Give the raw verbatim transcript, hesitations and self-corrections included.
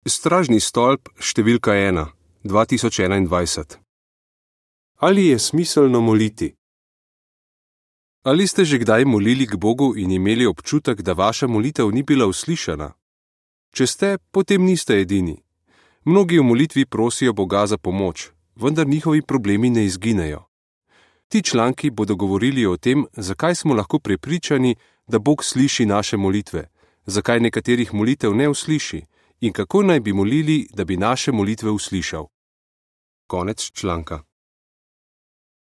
Stražni stolp številka ena, dva tisoč enaindvajset. Ali je smiselno moliti? Ali ste že kdaj molili k Bogu in imeli občutek, da vaša molitev ni bila uslišana? Če ste, potem niste edini. Mnogi v molitvi prosijo Boga za pomoč, vendar njihovi problemi ne izginejo. Ti članki bodo govorili o tem, zakaj smo lahko prepričani, da Bog sliši naše molitve, zakaj nekaterih molitev ne usliši in kako naj bi molili, da bi naše molitve uslišal. Konec članka.